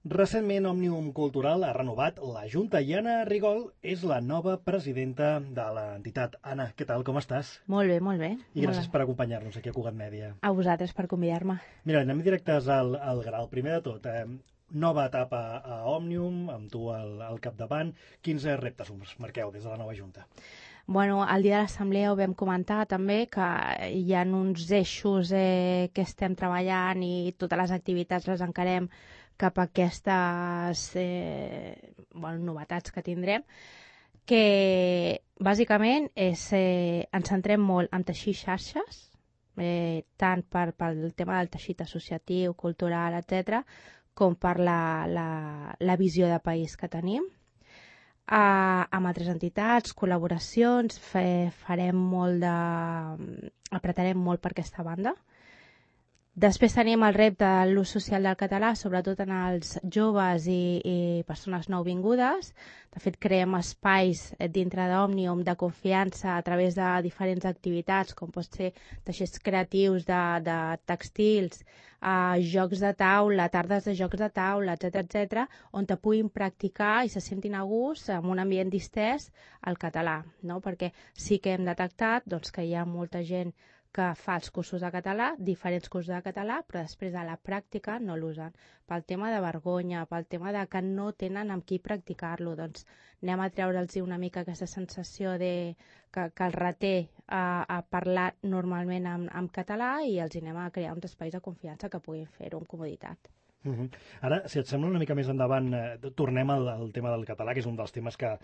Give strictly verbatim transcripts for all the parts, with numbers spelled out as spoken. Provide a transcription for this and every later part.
Recentment, Òmnium Cultural ha renovat la Junta i Anna Rigol és la nova presidenta de l'entitat. Anna, què tal, com estàs? Molt bé, molt bé. I gràcies per acompanyar-nos aquí a Cugat Mèdia. A vosaltres per convidar-me. Mira, anem directes al, al gra. El primer de tot, eh, nova etapa a Òmnium, amb tu al, al capdavant. Quins reptes us marqueu des de la nova Junta? Bueno, el dia de l'assemblea ho vam comentar també, que hi ha uns eixos eh, que estem treballant i totes les activitats les encarem cap a aquestes eh, bueno, novetats que tindrem, que bàsicament és, eh, ens centrem molt en teixir xarxes, eh, tant per, pel tema del teixit associatiu, cultural, etcètera, com per la, la, la visió de país que tenim. Uh, amb altres entitats, col·laboracions, fe, farem molt de... apretarem molt per aquesta banda. Després tenim el repte de l'ús social del català, sobretot en els joves i, i persones nouvingudes. De fet, creem espais dintre d'Òmnium de confiança a través de diferents activitats, com pot ser teixits creatius de, de textils, uh, jocs de taula, tardes de jocs de taula, etcètera, etcètera, on te puguin practicar i se sentin a gust en un ambient distès el català, no? Perquè sí que hem detectat doncs, que hi ha molta gent que fa els cursos de català, diferents cursos de català, però després a la pràctica no l'usen. Pel tema de vergonya, pel tema de que no tenen amb qui practicar-lo, doncs anem a treure'ls una mica aquesta sensació de que, que els reté a, a parlar normalment en, en català i els anem a crear uns espais de confiança que puguin fer-ho amb comoditat. Uh -huh. Ara, si et sembla una mica més endavant, eh, tornem al, al tema del català, que és un dels temes que,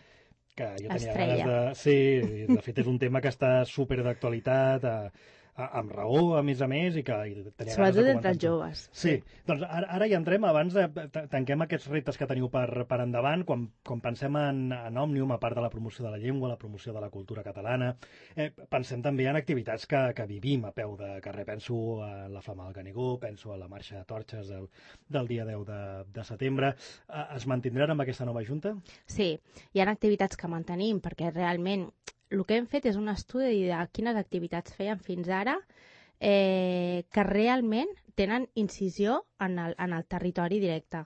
que jo tenia Estrella. ganes de... Sí, de fet és un tema que està super d'actualitat, eh, amb raó, a més a més, i que i tenia Sobretot ganes de entre els comentar-ho. joves. Sí, sí. Doncs ara, ara hi entrem, abans de, tanquem aquests reptes que teniu per, per endavant, quan, quan pensem en, en Òmnium, a part de la promoció de la llengua, la promoció de la cultura catalana, eh, pensem també en activitats que, que vivim a peu de carrer. Penso a la Flama del Canigó, penso a la marxa de torxes del, del dia deu de, de setembre. Eh, es mantindran amb aquesta nova Junta? Sí, hi ha activitats que mantenim, perquè realment el que hem fet és un estudi de quines activitats feien fins ara eh, que realment tenen incisió en el, en el territori directe.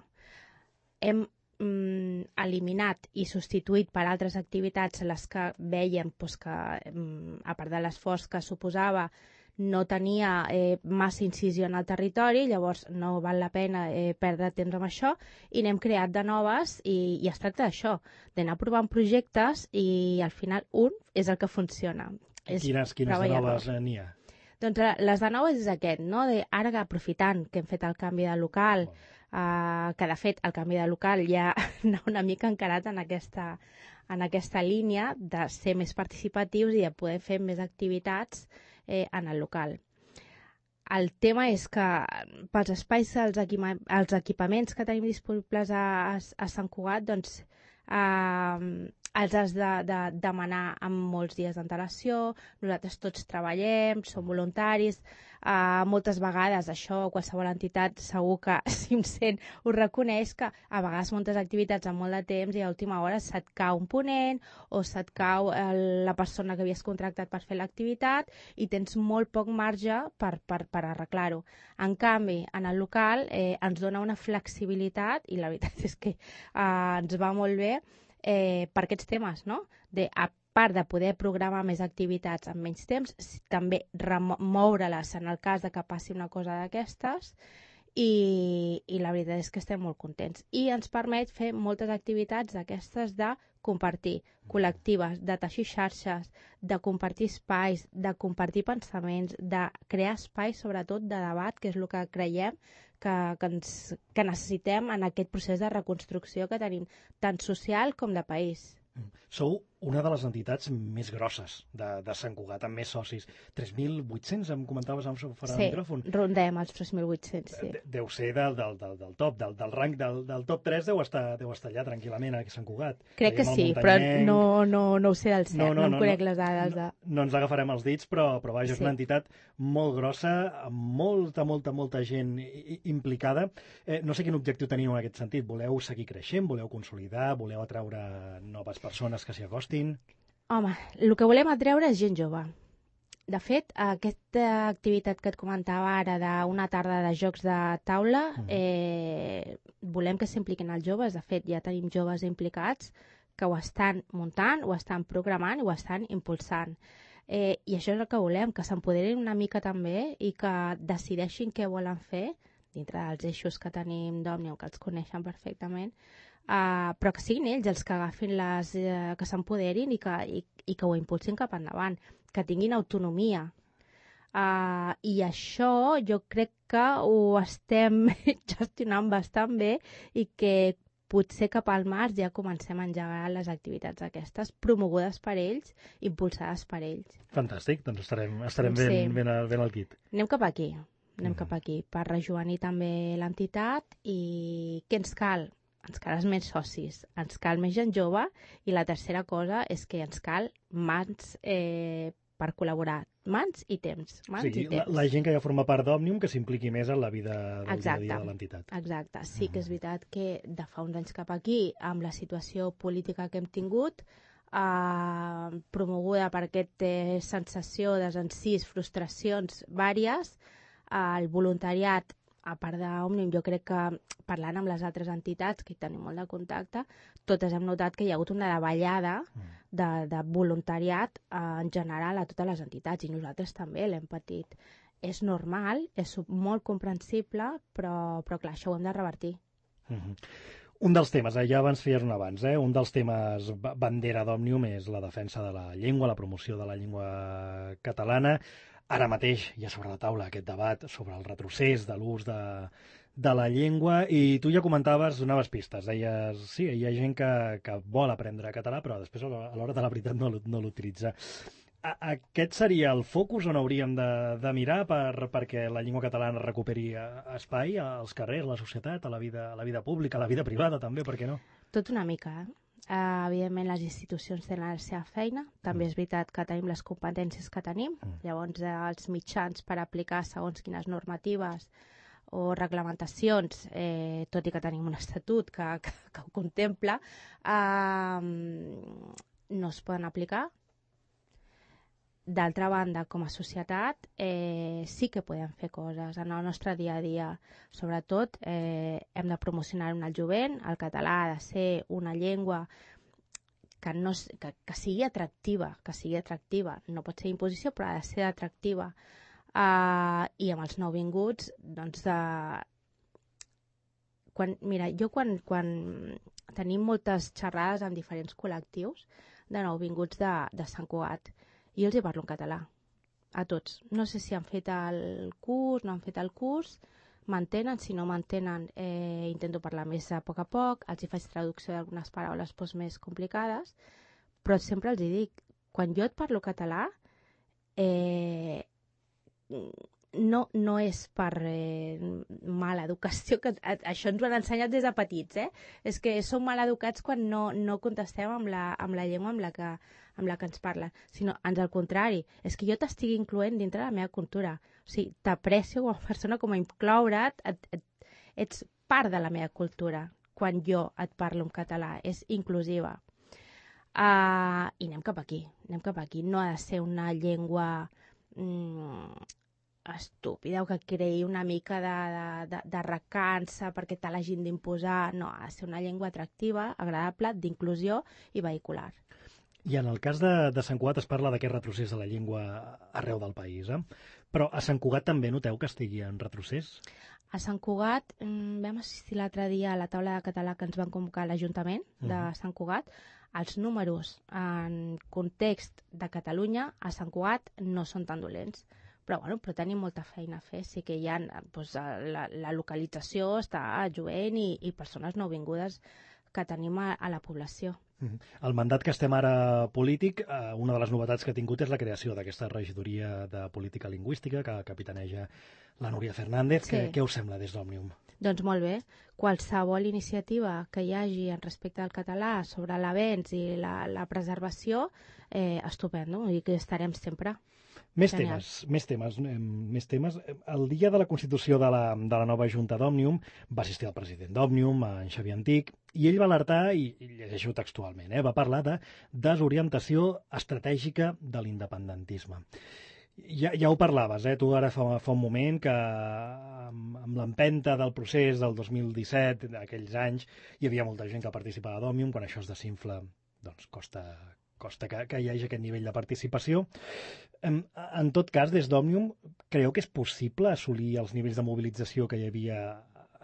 Hem mm, eliminat i substituït per altres activitats les que vèiem doncs, que, mm, a part de l'esforç que suposava, no tenia eh, massa incisió en el territori, llavors no val la pena eh, perdre temps amb això, i n'hem creat de noves, i, i es tracta d'això, d'anar provant projectes, i al final un és el que funciona. Quines, quines de noves n'hi ha? Doncs les de noves és aquest, no? De, ara aprofitant que hem fet el canvi de local, oh. uh, que de fet el canvi de local ja anava una mica encarat en aquesta, en aquesta línia de ser més participatius i de poder fer més activitats eh, en el local. El tema és que pels espais, els, equipa els equipaments que tenim disponibles a, a, a Sant Cugat, doncs eh, els has de, de demanar amb molts dies d'antelació. Nosaltres tots treballem, som voluntaris, uh, moltes vegades això, qualsevol entitat segur que si em sent ho reconeix, que a vegades moltes activitats amb molt de temps i a última hora se't cau un ponent o se't cau el, la persona que havies contractat per fer l'activitat i tens molt poc marge per, per, per arreglar-ho. En canvi, en el local eh, ens dona una flexibilitat i la veritat és que uh, ens va molt bé Eh, per aquests temes, no? De, a part de poder programar més activitats en menys temps, també remoure-les en el cas de que passi una cosa d'aquestes, i, i la veritat és que estem molt contents. I ens permet fer moltes activitats d'aquestes de compartir, col·lectives, de teixir xarxes, de compartir espais, de compartir pensaments, de crear espais, sobretot, de debat, que és el que creiem que, que, ens, que necessitem en aquest procés de reconstrucció que tenim, tant social com de país. Sou una de les entitats més grosses de, de Sant Cugat, amb més socis. tres mil vuit-cents, em comentaves amb fora sí, del micròfon. Sí, rondem els tres mil vuit-cents, sí. De, deu ser del, del, del, del top, del, del rang del, del top tres, deu estar, deu estar allà tranquil·lament a Sant Cugat. Crec que sí, però no, no, no ho sé del cert, no, no, no em no, conec no, les dades. De... No, no ens agafarem els dits, però, però vaja, és sí. una entitat molt grossa, amb molta, molta, molta gent implicada. Eh, no sé quin objectiu teniu en aquest sentit. Voleu seguir creixent, voleu consolidar, voleu atraure noves persones que s'hi acostin? Home, el que volem atreure és gent jove. de fet, aquesta activitat que et comentava ara d'una tarda de jocs de taula, Mm. eh, volem que s'impliquin els joves. De fet, ja tenim joves implicats que ho estan muntant, ho estan programant i ho estan impulsant. Eh, I això és el que volem, que s'empoderin una mica també i que decideixin què volen fer dintre dels eixos que tenim d'Òmnium, que els coneixen perfectament, Uh, però que siguin ells els que agafin les, uh, que s'empoderin i, que, i, i que ho impulsin cap endavant, que tinguin autonomia. Uh, I això jo crec que ho estem gestionant bastant bé i que potser cap al març ja comencem a engegar les activitats aquestes, promogudes per ells, impulsades per ells. Fantàstic, doncs estarem, estarem Sí. ben, ben, al- ben al quit. Anem cap aquí, anem Mhm. cap aquí, per rejovenir també l'entitat. I què ens cal? Ens calen més socis, ens cal més gent jove, i la tercera cosa és que ens cal mans eh, per col·laborar, mans i temps, mans Sí, i la, temps. la gent que ja forma part d'Òmnium que s'impliqui més en la vida del Exacte. dia a dia de l'entitat. Exacte, sí que és veritat que de fa uns anys cap aquí, amb la situació política que hem tingut, eh, promoguda per aquesta eh, sensació, desencís, frustracions vàries, eh, el voluntariat, a part d'Òmnium, jo crec que parlant amb les altres entitats, que hi tenim molt de contacte, totes hem notat que hi ha hagut una davallada de, de voluntariat eh, en general a totes les entitats, i nosaltres també l'hem patit. És normal, és molt comprensible, però, però clar, això ho hem de revertir. Mhm. Un dels temes, eh, ja abans feies un abans, eh, un dels temes ba- bandera d'Òmnium és la defensa de la llengua, la promoció de la llengua catalana. Ara mateix hi ha sobre la taula aquest debat sobre el retrocés de l'ús de, de la llengua, i tu ja comentaves, donaves pistes, deies, sí, hi ha gent que, que vol aprendre català, però després a l'hora a l'hora de la veritat no, l'u- no l'utilitza. A- Aquest seria el focus on hauríem de, de mirar per, perquè la llengua catalana recuperi eh, espai als carrers, a la societat, a la vida, a la vida pública, a la vida privada també, per què no? Tot una mica, eh? Uh, evidentment, les institucions tenen la seva feina. També Mm. és veritat que tenim les competències que tenim. Mm. Llavors, eh, els mitjans per aplicar segons quines normatives o reglamentacions, eh, tot i que tenim un estatut que, que, que ho contempla, uh, no es poden aplicar. D'altra banda, com a societat, eh, sí que podem fer coses en el nostre dia a dia. Sobretot, eh, hem de promocionar en el jovent. El català ha de ser una llengua que, no, s- que, que sigui atractiva, que sigui atractiva. No pot ser imposició, però ha de ser atractiva. Uh, I amb els nouvinguts, doncs, de... quan, mira, jo quan, quan tenim moltes xerrades amb diferents col·lectius de nouvinguts de, de Sant Cugat, i jo els hi parlo en català, a tots. No sé si han fet el curs, no han fet el curs, m'entenen, si no m'entenen eh, intento parlar més a poc a poc, els hi faig traducció d'algunes paraules doncs, més complicades, però sempre els hi dic, quan jo et parlo català, eh, no, no és per eh, mala educació, que a- això ens ho han ensenyat des de petits, eh? És que som mal educats quan no, no contestem amb la, amb la llengua amb la, que, amb la que ens parlen, sinó ans al contrari, és que jo t'estigui incloent dintre de la meva cultura. O sigui, t'aprecio com a persona, com a incloure't, et, et, ets part de la meva cultura quan jo et parlo en català, és inclusiva. Uh, I anem cap aquí, anem cap aquí. No ha de ser una llengua mm, estúpida o que creï una mica de, de, de, de recança perquè te l'hagin d'imposar. No, ha de ser una llengua atractiva, agradable, d'inclusió i vehicular. I en el cas de, de Sant Cugat es parla d'aquest retrocés de la llengua arreu del país, eh? Però a Sant Cugat també noteu que estigui en retrocés? A Sant Cugat mm, vam assistir l'altre dia a la taula de català que ens van convocar a l'Ajuntament de Mhm. Sant Cugat. Els números en context de Catalunya a Sant Cugat no són tan dolents. Però, bueno, però tenim molta feina a fer. Sí que hi ha, doncs, la, la localització està a jovent i, i persones nouvingudes que tenim a, a la població. Mhm. El mandat que estem ara polític, eh, una de les novetats que ha tingut és la creació d'aquesta regidoria de política lingüística que capitaneja la Núria Fernández. Sí. Què, què us sembla des d'Òmnium? Doncs molt bé. Qualsevol iniciativa que hi hagi en respecte al català sobre l'avenç i la, la preservació, eh, estupendo, i que estarem sempre. Més Genial. temes, més temes, eh, més temes. El dia de la constitució de la, de la nova Junta d'Òmnium va assistir el president d'Òmnium, en Xavier Antic, i ell va alertar, i, i llegeixo textualment, eh, va parlar de desorientació estratègica de l'independentisme. Ja, ja ho parlaves, eh? Tu ara fa, fa un moment que amb, amb l'empenta del procés del dos mil disset, d'aquells anys, hi havia molta gent que participava a d'Òmnium. Quan això es desinfla, doncs costa, costa que, que hi hagi aquest nivell de participació. En, en tot cas, des d'Òmnium, creu que és possible assolir els nivells de mobilització que hi havia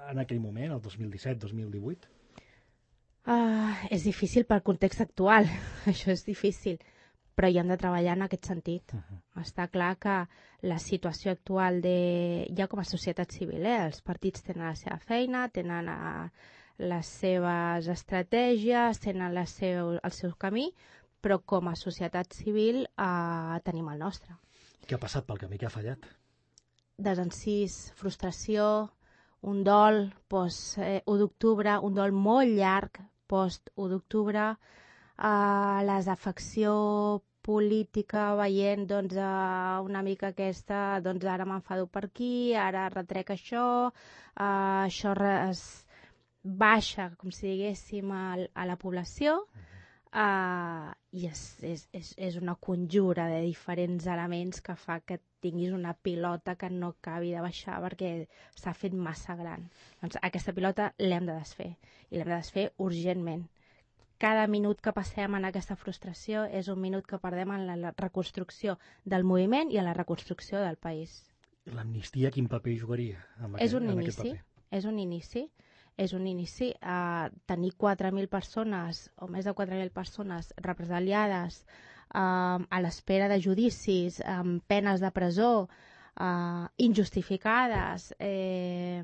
en aquell moment, el dos mil disset dos mil divuit? Uh, és difícil pel context actual, això és difícil, però hi hem de treballar en aquest sentit. Uh -huh. Està clar que la situació actual de... ja com a societat civil, eh? Els partits tenen la seva feina, tenen a... les seves estratègies, tenen la seu... el seu camí, però com a societat civil eh, tenim el nostre. Què ha passat pel camí? Què ha fallat? Desencís, frustració, un dol post eh, u d'octubre, un dol molt llarg post u d'octubre, eh, la desafecció política veient doncs, eh, una mica aquesta, doncs ara m'enfado per aquí, ara retrec això, eh, això es baixa, com si diguéssim, a, a la població, Uh, i és, és, és, és una conjura de diferents elements que fa que tinguis una pilota que no acabi de baixar perquè s'ha fet massa gran. Doncs aquesta pilota l'hem de desfer, i l'hem de desfer urgentment. Cada minut que passem en aquesta frustració és un minut que perdem en la, la reconstrucció del moviment i en la reconstrucció del país. L'amnistia quin paper jugaria en aquest, és un en inici, aquest paper? És un inici. És un inici a uh, tenir quatre mil persones o més de quatre mil persones represaliades uh, a l'espera de judicis, amb penes de presó uh, injustificades, eh,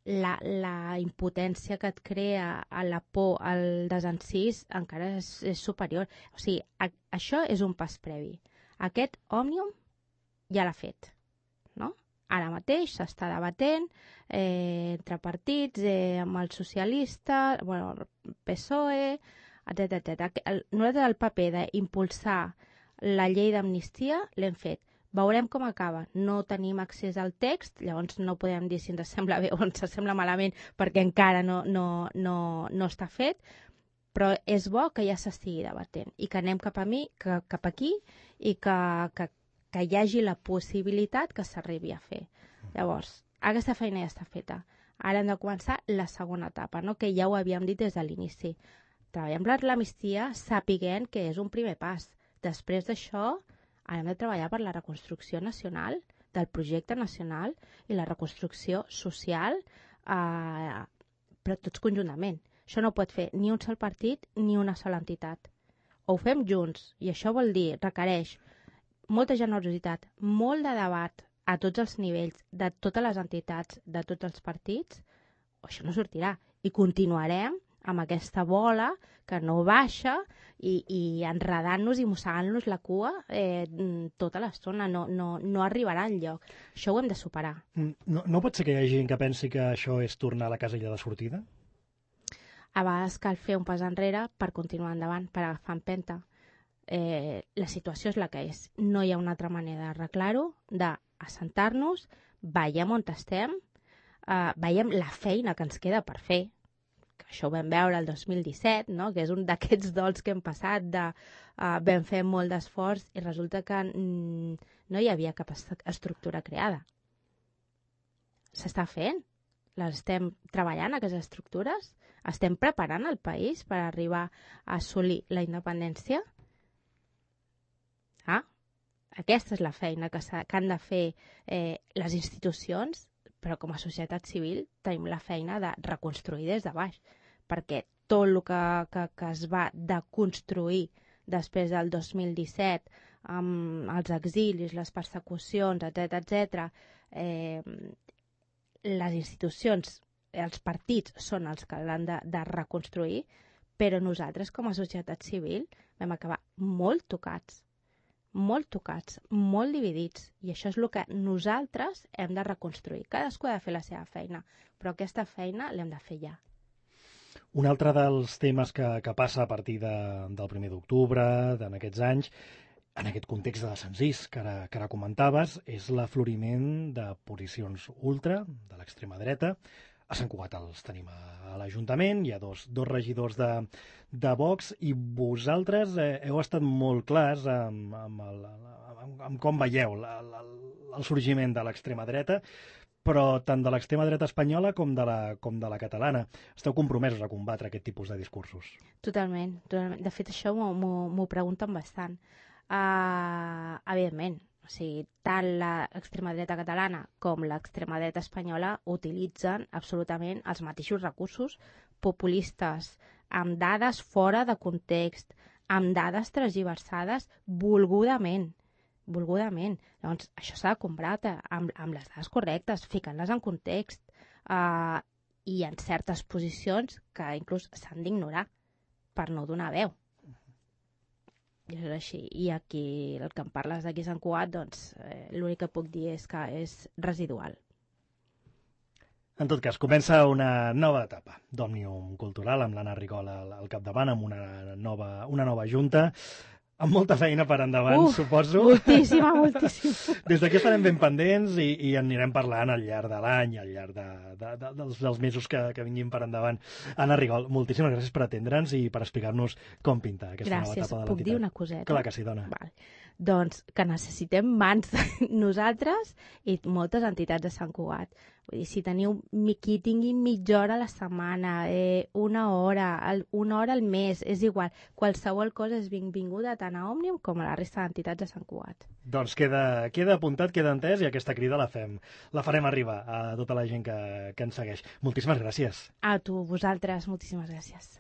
la, la impotència que et crea a la por, al desencís encara és, és superior. O sigui, a, això és un pas previ. Aquest Òmnium ja l'ha fet, no? Ara mateix s'està debatent eh, entre partits, eh, amb el socialista, bueno, el P S O E, etcètera etcètera. Nosaltres el paper d'impulsar la llei d'amnistia l'hem fet. Veurem com acaba. No tenim accés al text, llavors no podem dir si ens sembla bé o ens sembla malament perquè encara no, no, no, no està fet, però és bo que ja s'estigui debatent i que anem cap a mi, que, cap aquí i que, que que hi hagi la possibilitat que s'arribi a fer. Llavors, aquesta feina ja està feta. Ara hem de començar la segona etapa, no? Que ja ho havíem dit des de l'inici. Treballem per l'amnistia sapiguent que és un primer pas. Després d'això, ara hem de treballar per la reconstrucció nacional, del projecte nacional i la reconstrucció social, eh, però tots conjuntament. Això no pot fer ni un sol partit ni una sola entitat. O ho fem junts, i això vol dir, requereix molta generositat, molt de debat a tots els nivells, de totes les entitats, de tots els partits, o això no sortirà. I continuarem amb aquesta bola que no baixa i, i enredant-nos i mossegant-nos la cua eh, tota l'estona. No, no, no arribarà enlloc. Això ho hem de superar. No, no pot ser que hi hagi gent que pensi que això és tornar a la casella de sortida? A vegades cal fer un pas enrere per continuar endavant, per agafar empenta. Eh, la situació és la que és. No hi ha una altra manera d'arreglar-ho, d'assentar-nos, veiem on estem, eh, veiem la feina que ens queda per fer, que això ho vam veure el dos mil disset, no? Que és un d'aquests dols que hem passat, de, eh, vam fer molt d'esforç i resulta que mm, no hi havia cap est estructura creada. S'està fent, les estem treballant, aquestes estructures, estem preparant el país per arribar a assolir la independència. Ah, aquesta és la feina que, que han de fer eh, les institucions, però com a societat civil tenim la feina de reconstruir des de baix, perquè tot el que, que, que es va deconstruir després del dos mil disset, amb els exilis, les persecucions, etcètera etcètera, eh, les institucions, els partits són els que l'han de, de reconstruir, però nosaltres com a societat civil vam acabar molt tocats. molt tocats, molt dividits, i això és el que nosaltres hem de reconstruir. Cadascú ha de fer la seva feina, però aquesta feina l'hem de fer ja. Un altre dels temes que, que passa a partir de, del primer d'octubre, en aquests anys, en aquest context de desencís que ara, que ara comentaves, és l'afloriment de posicions ultra, de l'extrema dreta, A Sant Cugat els tenim a, a l'Ajuntament, hi ha dos, dos regidors de, de Vox, i vosaltres eh, heu estat molt clars amb, amb, el, amb, amb com veieu la, la, el sorgiment de l'extrema dreta, però tant de l'extrema dreta espanyola com de la, com de la catalana. Esteu compromesos a combatre aquest tipus de discursos? Totalment. totalment. De fet, això m'ho pregunten bastant. Uh, evidentment, o sigui, tant l'extrema dreta catalana com l'extrema dreta espanyola utilitzen absolutament els mateixos recursos populistes, amb dades fora de context, amb dades transgiversades volgudament. volgudament. Llavors, això s'ha de combatre amb, amb les dades correctes, ficant-les en context, uh, i en certes posicions que inclús s'han d'ignorar per no donar veu. I és així. I aquí, el que em parles d'aquí a Sant Cugat, doncs, eh, l'únic que puc dir és que és residual. En tot cas, comença una nova etapa d'Òmnium Cultural, amb l'Anna Rigol al, al capdavant, amb una nova, una nova junta, amb molta feina per endavant, uh, suposo. Moltíssima, moltíssima. Des d'aquí estarem ben pendents i, i en anirem parlant al llarg de l'any, al llarg de, de, de, dels, dels mesos que, que vinguin per endavant. Anna Rigol, moltíssimes gràcies per atendre'ns i per explicar-nos com pinta aquesta gràcies. nova etapa de l'entitat. Puc dir una coseta? Clar que sí, dona. Val. Doncs que necessitem mans nosaltres i moltes entitats de Sant Cugat. Vull dir, si teniu qui tingui mitja hora a la setmana, eh, una hora, el, una hora al mes, és igual. Qualsevol cosa és benvinguda tant a Òmnium com a la resta d'entitats de Sant Cugat. Doncs queda, queda apuntat, queda entès, i aquesta crida la fem, la farem arribar a tota la gent que, que ens segueix. Moltíssimes gràcies. A tu, vosaltres, moltíssimes gràcies.